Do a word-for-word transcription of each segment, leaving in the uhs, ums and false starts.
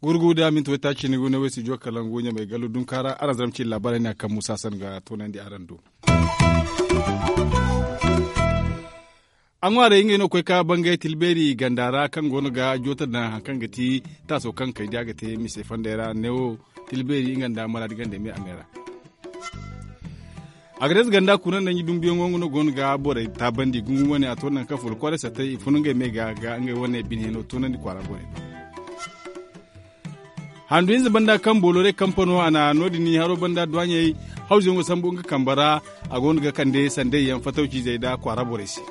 Gurgu da minti waytaaci ni gune way studio kalangu ɲamay gallu dunkaara araŋ zarma cine laabaarey no a kaŋ muusa san ga toonandi araŋ do. A ŋwaarey ngey no ga koy ka bangay tilbeeri ganda ra kaŋ go no ga joota daŋ hari kaŋ ga ti taaso kaŋ kay da a ga te mise fondey ra neewo tilbeeri nga nda maraadi gandey me a me ra. Agades ganda kuna nda ɲi dumbuyaŋo nga no go no ga borey taabandi gungu wane a to nangu kaŋ fula kwaaray sattey i fun ngey me ga ga ngey wane bine no toonandi kwaara borey do. Handu hinza banda kaŋ boolorey kampano a na no- din haro banda duwaaɲey hawzuyaŋo sambu nga kambe ra. A go no ga kande sanday yaŋ fatawciizey nda kwaara borey se.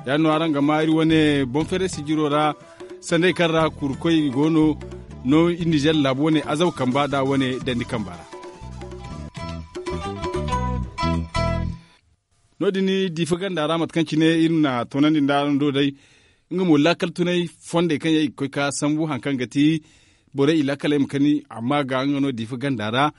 Ya- din no araŋ ga ma iri wane boŋ feeray sijiro ra sanday kaŋ ra kurukoy go no no iri nizer laabu wane azaw kamba nda wane dandi kamba ra. No- din diifa ganda ra mate kaŋ cine iri na toonandi nda araŋ do day nga mo laakal tunay fondey kaŋ yaŋ i ga koy ka sambu hari kaŋ ga ti borey i laakaley ma kani amma ga nga no diifa ganda ra.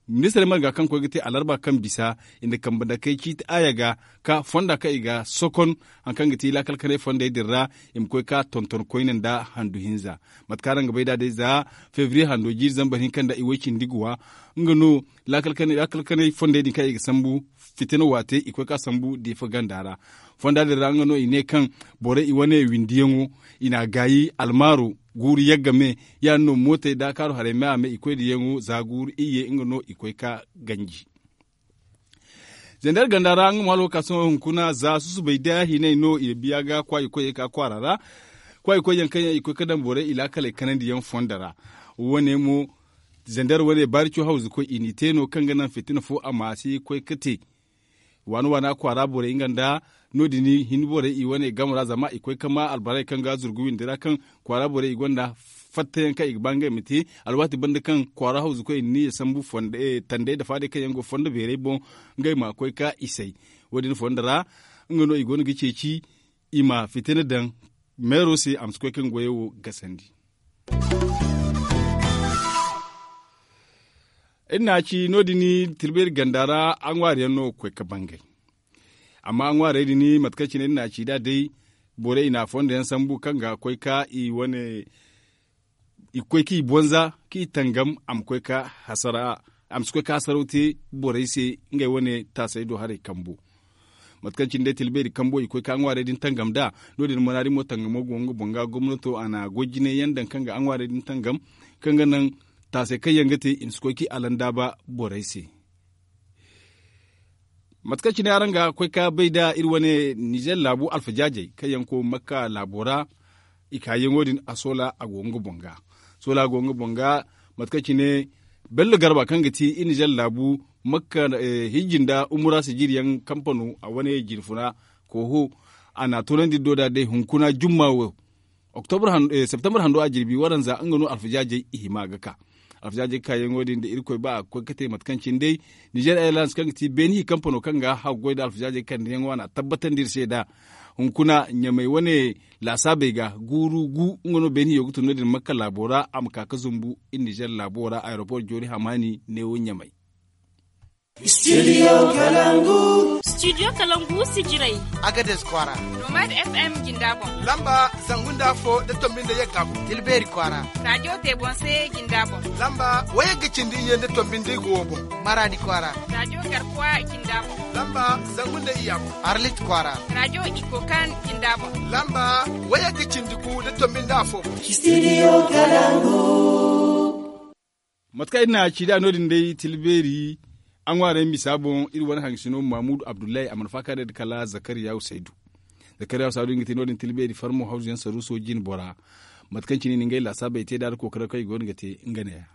Ministirey marga kaŋ koy ga te alarba kaŋ bisa i na kambe dakey ciiti aaya ga ka fonda kaŋ i ga sokon hari kaŋ ga ti laakal kanay fondey din ra i ma koy ka tonton koyne nda handu hinza. Mate kaŋ araŋ ga bay nd'a day za febriye hando jiiri zambar hinka nda i way cindi ga wa nga no laakal kanay fondey din kaŋ i ga sambu fitina waate i koy ka sambu diifa ganda ra. Fonda din ra nga no i ne kaŋ borey i wane windiyaŋo i n'a gaayi almaaro guuru yagga me. Ya- din no mootey da kaaru haray me a me i koy da yaŋo za guuru iyye nga no i koy ka ganji. Zandar ganda ra nga mo hala wo ka sohõ hunkuna za susubay da hinay no i biya ga kwaayi koyey ka kwaara ra. Kwaayi koyyaŋ kaŋ yaŋ i koy ka daŋ borey i laakaley kanandi yaŋ fondo ra. Wo- ne mo zandar wane baarico hawzu koy i n'i te no kaŋ ga naŋ fitina fo a ma si koy ka te. Waana waana kwaara borey nga nda no- din hin borey i wane game ra zama i koy ka ma albarey kaŋ ga zurgu windi ra kaŋ kwaara borey i gonda fattayaŋ kaŋ i ga ba ngey ma te alwaati banda kaŋ kwaara hawzu koy i na niya sambu tandey nda faadey kaŋ yaŋ go fondo beerey boŋ ngey ma koy ka isay. Wo- din fondo ra nga no i go no ga ceeci i ma fitina daŋ meero se a ma si koy kaŋ goyey wo gasandi. Iri na a ci no- din tilbeeri ganda ra a ŋwaari yaŋ no ga koy ga bangay. Amma a ŋwaarey din mate kaŋ cine iri na a ci nd'a day borey i na a fondo yaŋ sambu kaŋ ga koy ka i wane i ga koy k'i bonza k'i tangam a ma koy ka hasara a ma si koy ka hasaraw te borey se ngey wane taasey do haray kambo. Mate kaŋ cine day tilbeeri kambo i koy ka a ŋwaarey din tangam nd'a. No- din manaari mo tangamo go nga boŋ ga gomnato a na goy jinay yaŋ daŋ kaŋ ga a ŋwaarey din tangam kaŋ ga naŋ taasey kaŋ yaŋ ga te i ma si koy k'i alandaaba borey se. Mate kaŋ cine araŋ ga koy ka bay nd'a iri wane nizer laabu alfajaajey kaŋ yaŋ go makka laabo ra i kaayaŋo din a soola a go nga boŋ ga. Soola a go nga boŋ ga mate kaŋ cine bello garba kaŋ ga ti iri nizer laabu makka hijji nda umura sijiri yaŋ kampano a wane jinfuna kooho a na a toonandi iri do nd'a day hunkuna jumma wo. Septembre hando a jirbi waranza nga no alfajaajey i hima ga ka. Alfajaajey kaayaŋo din da irkoy ba a ga koy ga te mate kaŋ cine day nizer airlines kaŋ ga ti beeni hi kampano kaŋ ga haggoy nda alfajaajey kandiyaŋo a na a tabbatandi iri se nd'a. Hunkuna ɲamay wane laasaabey ga guuru gu nga no beeni hiyo ga tun no- din makka laabo ra a ma ka ga zumbu iri nizer laabo ra aeroport joori hamaani neewo ɲamay. Studio kalangu. Studio kalangu sijirey. Agades kwaara. Nomad fm jinda boŋ. Lamba zangu nda afo nda tombi nda yagga boŋ. Tilbeeri kwaara. Radio tebonse jinda boŋ. Lamba wayagga cindi iyye nda tombi nda igo wo boŋ. Maraadi kwaara. Radio garkuwa jinda boŋ. Lamba zangu nda iyya boŋ. Arlit kwaara. Radio ikokan jinda boŋ. Lamba wayagga cindi gu nda tombi nda afo boŋ. Studio kalangu. Mate kaŋ iri na a ci nd'a no- din day tilbeeri a ŋwaarey misa boŋ iri wane hangasino mamudu abdullahi a mana faaka day nda kala zakariya husaydu. Zakariya husaydu nga te no- din tilbeeri farmo hawzu yaŋ saruuso jine bora. Mate kaŋ cine i na ngey laasaabey te nd'a nda kookaro kaŋ i go no ga te nga neeya.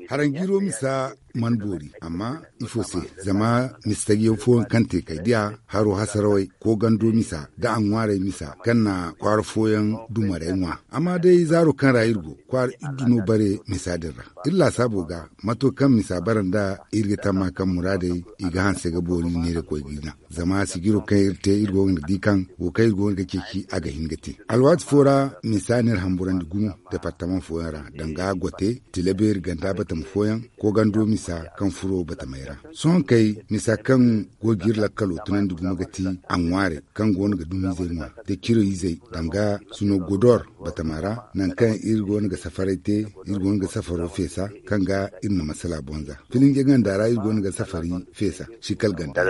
Haranjiiro misa mana boori amma ifo se? Zama misa taji yaŋ fooyaŋ kaŋ te kay diya haro hasarawey koogando misa nda a ŋwaarey misa kaŋ na kwaara fooyaŋ dumarey ŋwa. Amma day zaaro kaŋ ra iri go kwaara iddu no bare misa din ra. Iri laasaabo ga mato kaŋ misa bara nda iri ga tamma kaŋ muraadey i ga hanse ga boori neerakoy ga i naŋ. Zama sijiro kaŋ iri te iri go ga di kaŋ wo kaŋ iri go ga ceeci a ga hin ga te. Alwaati fo ra misa n'iri hamburandi gumo departama. Fooyaŋ ra danga gote, tilabeeri ganda batama fooyaŋ, koogando misa kaŋ furo batamey ra. Sohõ kay misa kaŋ go ga iri lakkalo tunandi gumo ga ti a ŋwaarey kaŋ go no ga dumi izey ŋwa da ciro izey danga sino godor batama ra, nangu kaŋ iri go no ga safaray te, iri go no ga safaro feesa kaŋ ga iri na masala bonza filinje ganda ra iri go no ga safari feesa. Sikal ganda.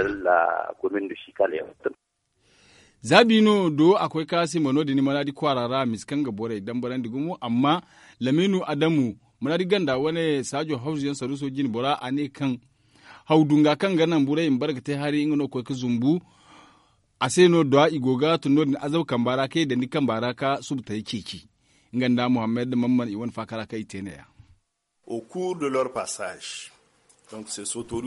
Za biino do a koy ka sima no- din manaadi kwaara ra a ma si kaŋ ga borey dambarandi gumo amma lamiinu adamu manaadi ganda wane saajo hawzuyaŋ saruuso jinbora a ne kaŋ haw dunga kaŋ ga naŋ borey ma bare ga te hari nga no ga koy ga zumbu. A se no da i go ga tun no- din azaw kamba ra kaŋ i dandi kamba ra ka subu taray ceeci. Nga nda muhammad mamman i wane faakara kaŋ i te ne- ya.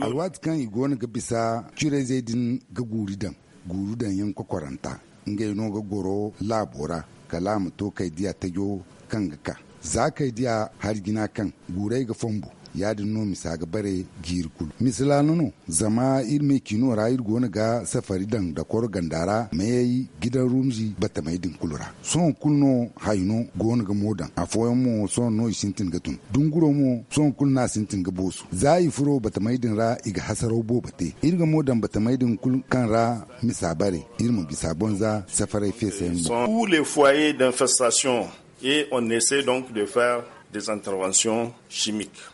Alwaati kaŋ i go no ga bisa curayzey din ga guuri daŋ guuru daŋ yaŋ kokoranta ngey no ga goro laabo ra kala a ma to kay diya tajo kaŋ ga ka za kay diya hari jina kaŋ guurey ga fonbu. Ya- din no misa ga bare jiiri kulu misila no no zama iri me ciino ra iri go no ga safari daŋ dakoro ganda ra mayey gidan rumzi batamey din kulu ra. Sohõ kulu no hayno go no ga mo daŋ afooyaŋ mo sohõ no i sintin ga tun dunguro mo sohõ kulu no a sintin ga boosu za i furo batamey din ra i ga hasaraw boobo te iri ga mo daŋ batamey din kulu kaŋ ra misa bare iri ma bisa bonza safaray feesayaŋ boŋ. Pour les foyers d'infestation et on essaie donc de faire des interventions chimiques.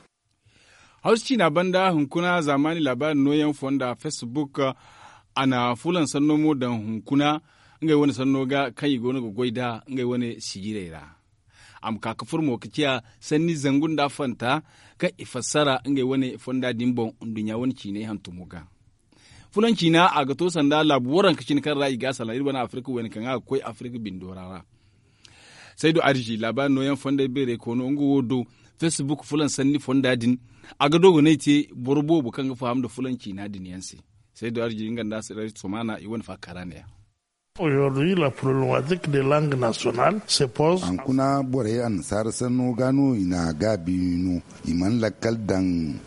Hawsu ciina banda hunkuna zaamaani laabaari nooyaŋ fonda facebook a na fulan sanno mo daŋ hunkuna ngey wane sanno ga kaŋ i go no ga goy nd'a ngey wane sijirey ra. A ma ka ga furo mo ga ciya sanni zangu nda fanta kaŋ i fassara ngey wane fonda din boŋ nduɲɲa wane ciinay hantumo ga. Fulan ciina a ga to sanda laabu waranka cine kaŋ ra i ga a salaŋ iri wane afirka wayna kaŋ a ga koy afirka bindo ra ra. Saydu arzi laabaari nooyaŋ fondey beeray koono nga wo do facebook fulan sanni fonda din a ga dogonay te boro boobo kaŋ ga faham nda fulan ciina din yaŋ se. Saydu arzi nga nda somaana i wane faakara ne- ya. Aujourd'hui la problematique des langues nationales se pose. Hankuna borey annasaara sanno ga no i na gaabi no i mana lakkal daŋ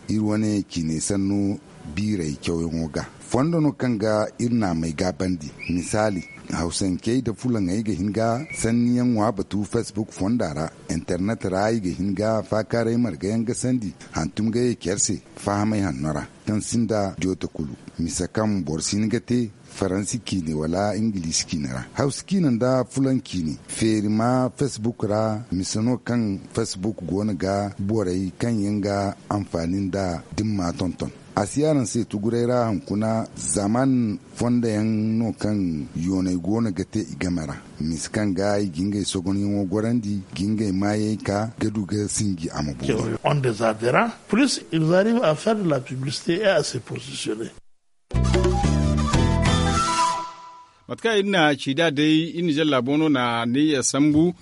iri wane ciinay sanno biiray cawyaŋo ga. Fondo no kaŋ ga iri naamey gaabandi misaali hawsancey nda fulaŋey ga hin ga sanniyaŋ ŋwa batu facebook fonda ra internet ra i ga hin ga faakaaray margayaŋ gasandi hantum ga ye care se fahamay hanno ra kaŋ sinda jooto kulu. Misa kaŋ boro si hin ga te faransi ciine wala ingiliisi ciine ra hawsa ciine nda fulaŋ ciine feeri ma facebook ra misa no kaŋ facebook go no ga borey kaŋ yaŋ ga anfaani nda dimma tonton. A si araŋ se tuguray ra hunkuna zaaman fonda yaŋ no kaŋ yoonay go no ga te i game ra misa kaŋ ga i ga ngey sogonyaŋo gorandi ga ngey maayey ka ga du ga sinji a ma boori. Ont des adherents plus ils arrivent à faire de la publicité et à se positionner. Mate kaŋ iri na ci nd'a day iri nizer laabo no na ne ya sambu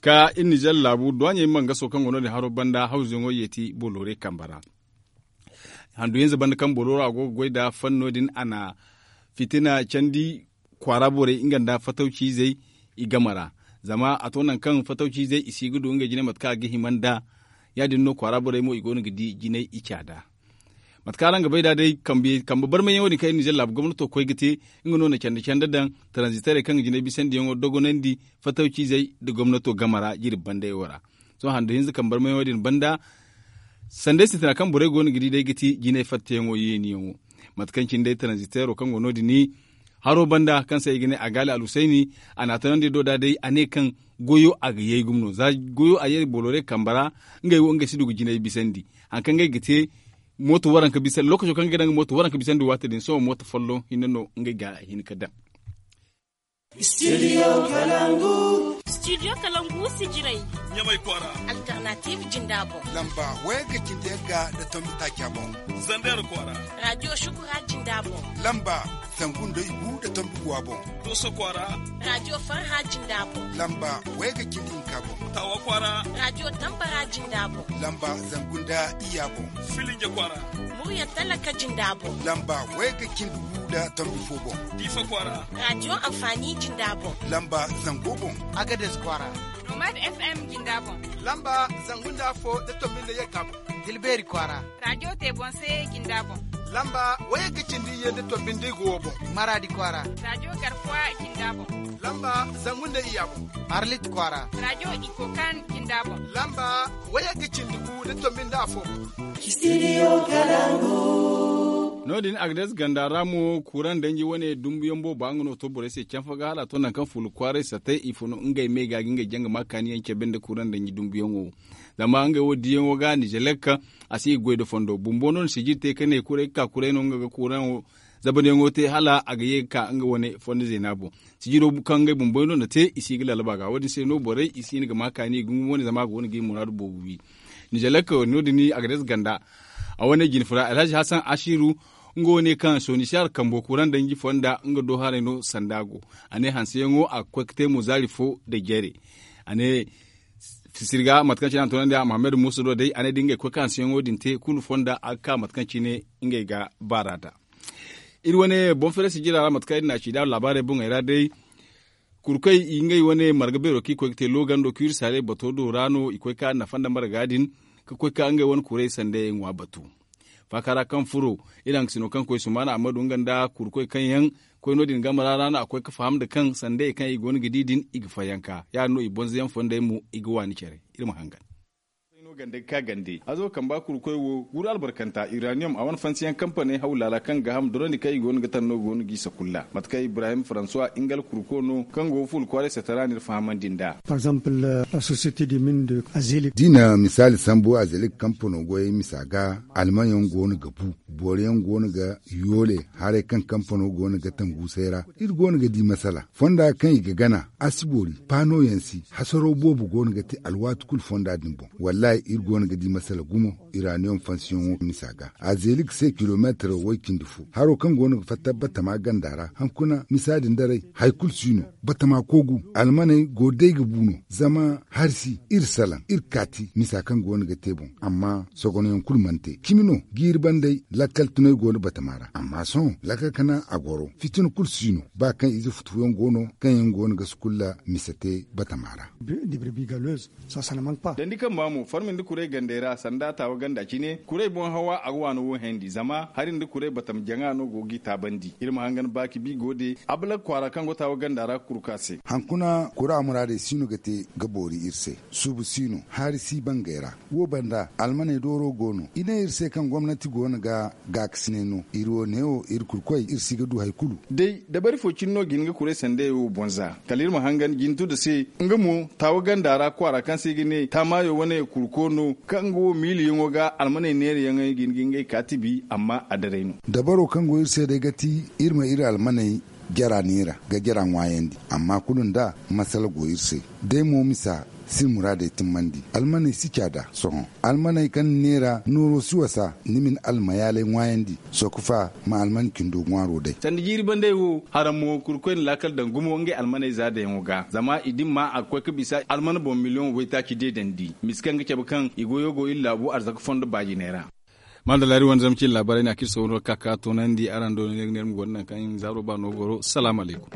ka iri nizer laabu duwaɲey mangaso kaŋ go no- din haro banda hawzuyaŋo yeeti bolore kambe ra. Handu hinza banda kaŋ boloro a go ga goy nda fanno din a na fitina candi kwaara borey nga nda fatawciizey i game ra. Zama a to nangu kaŋ fatawciizey i si ga du ngey jine mate kaŋ a ga hima nd'a. Ya- din no kwaara borey mo i go no ga di jinay i caada. Mate kaŋ araŋ ga bay nd'a day kambe barmayyaŋo din kaŋ iri nizer laabu gomnato koy ga te nga no na canda canda daŋ taranziterey kaŋ ga jinay bisandiyaŋo dogonandi fatawciizey nda gomnato game ra jirbi bandayaŋo ra. Sohõ handu hinza kambe barmayyaŋo din banda sanday sintina kaŋ borey go no ga di day ga ti jinay fatteyaŋo yeeniyaŋo. Mate kaŋ cine day taranzitero kaŋ go no- din haro banda kaŋ se i ga ne a gaali alhusayni a na a tanandi do da day a ne kaŋ goyo a ga yay gumo no za goyo a yay bolore kambe ra. Ngey wo ngey si du ga jinay bisandi hari kaŋ ngey ga te mooto waranka bisandi lookaco kaŋ ga daŋ ga mooto waranka bisandi waati din sohõ mooto folloŋ hinne no ngey ga hin ga daŋ. Studio kalangu. Studio kalangu si jiray ɲamay kwaara. Alternative jinda boŋ lamba wayga cindi yagga nda tombi taaca boŋ. Zander kwaara. Radio shukura jinda boŋ lamba zangu nda igu nda tombi guwa boŋ. Doso kwaara. Radio farha jinda boŋ lamba wayga cindi hinka boŋ. Tawa kwaara. Radio tambara jinda boŋ lamba zangu nda iya boŋ. Filinje kwaara. Murya talaka jinda boŋ lamba wayga cindi gu nda tombi fo boŋ. Diifa kwaara. Radio anfaani jinda boŋ lamba zango boŋ. Agades kwaara. Nomad fm jinda boŋ lamba zangu nda afo nda tombi nda yagga boŋ. Tilbeeri kwaara. Radio tebonse jinda boŋ lamba wayga cindi iyye nda tombi nda igo wo boŋ. Maraadi kwaara. Radio garkuwa jinda boŋ lamba zangu nda iya boŋ. Arlit kwaara. Radio ikokan jinda boŋ lamba Wayey ga cindi gu da tombi nda afo. No- din agades ganda ra mo kuuraŋ danji wane dumbuyaŋ booba nga no to borey se canfa ga hala a to nangu kaŋ fuula kwaaray sattey i fun ngey me ga ga ngey jaŋ ga ma kaaniyaŋ cabe nda kuuraŋ danji dumbuyaŋo. Zama ngey wo diyaŋo ga nizelek a si ga goy nda fondo bumbo no na sijiri te ka ne kuray ga ka kuray no nga ga kuuraŋo zabanyaŋo te hala a ga ye ga ka nga wane fondo zeena boŋ. Sijiro kaŋ ngey bumboy no na te i si ga lalaba ga wo- din se no borey i si hin ga ma kaani i ga ŋwa wane zama a go no ga i muraadu boobo wi. Nizelek no- din agades ganda a wane jine fura alhazi hasan asiru nga wane kaŋ sonisiyar kambo kuuraŋ danji fonda nga do haray no sanda go. A ne hanseyaŋo a ga koy ga te mo zaari fo nda jere. A ne fisiri ga mate kaŋ cine a na toonandi a muhammad muusa do day a ne da ngey koy ga hanseyaŋo din te kulu fonda a ga ka mate kaŋ cine ngey ga baara nd'a. Iri wane boŋ fere sijira ra mate kaŋ iri na a ci nd'a laabaarey boŋey ra day. Kurkoy i ngey wane marga beero kaŋ i koy ga te loogando kaŋ iri saaray bato do ra no i koy ga nafa nda marga din ka koy ga ngey wane kuray sandayey ŋwa batu. Faaka ra kaŋ furo iri haŋ ga sino kaŋ koy sumaana ammadu nga nda kurkoy kaŋ yaŋ koy no- din game ra ra no a koy ga faham nda kaŋ sandayey kaŋ i go no ga di din i ga fayanka ya- din no i bonza yaŋ fonday mo i ga waani care. Iri ma hangan. Azo kamba kurkoy wo guru albarkanta iraniyom a wane fansiyaŋ kampaney haw laala kaŋ ga ham dorandi kaŋ i go no ga taŋ no go no g'i sakulla mate kaŋ ibrahim faransuwa ingal kurko no kaŋ go fuula kwaaray satara no iri fahamandi nd'a. Par exemple la société de mine de azelik. Da i na misaali sambu azelik kampano goyey misa ga almanyaŋ go no ga bu boro yaŋ go no ga yoole haray kaŋ kampano go no ga taŋ guusay ra. Iri go no ga di masala fonda kaŋ i ga gana a si boori paano yaŋ si hasaro boobo go no ga te alwaati kulu fonda din boŋ. Wallaahi iri go no ga di masala gumo iraniyom fansiyaŋo misa ga a zeeli ga se kilomeetiro way cindi fo haro kaŋ go no ga fatta batama ganda ra hankuna misa din daray hari kulu si no. Batama koogu almaney go day ga bu no zama hari si iri salaŋ iri kaati misa kaŋ go no ga te boŋ. Amma sogonoyaŋ kulu mana te cimi no jiiri bandey lakkal tunay go no batama ra amma sohõ lakkal kana a goro fitina kulu si no ba kaŋ ize futufuyaŋ go no kaŋ yaŋ go no ga sukulla mise te batama ra. Dandi kamba mo farmi nda kuray gandey ra sanda taawa ganda cine kuray boŋ hawa a ga waano wo hendi zama hari nda kuray batam jaŋa no go g'i taabandi iri ma hangan baaki bi go de abalak kwaara kaŋ go taawa ganda ra kurka se. Hankuna kura muraadey si no ga te ga boori iri se suubu si no haari si bangey ra. Wo banda almaney dooro go no i ne iri se kaŋ gomnati go no ga gaakasinay no iri wo neewo iri kurkoy iri si ga du hari kulu. Day dabari fo cine no ga hin ga kuray sandayey wo boŋ za kala iri ma hangan jintu nda se nga mo taawa ganda ra kwaara kaŋ se i ga ne taamaayo wane kurko no kaŋ nga wo miiliyaŋo ga almaney neerayaŋey ga hin ga ngey kaatibi amma a daray no. Dabaro kaŋ go iri se day ga ti iri ma iri almaney jara neera ga jara ŋwaayandi amma kulu nda masala go iri se. Day mo misa si muraadey timmandi almaney si caada sohõ almaney kaŋ ni neera nooro si wasa ni ma ni almayaaley ŋwaayandi sooka fa ma alman cindo ŋwaaro day. Sanda jiiri bandey wo haraŋ mo kurkoy na laakal daŋ gumo ngey almaney za dayaŋo ga zama i dimma a ga koy ga bisa alman boŋ miliyoŋ waytaaci deedandi misa kaŋ ga cabe kaŋ i goyo go iri laabu arzaka fondo baajiney ra. Maadalla iri wane zama cine laabaarey ne a kaŋ iri soohõ no ga ka ka toonandi araŋ do no ne ga ne iri ma goro nangu kaŋ zaaro ba no goro salaamu alaykum.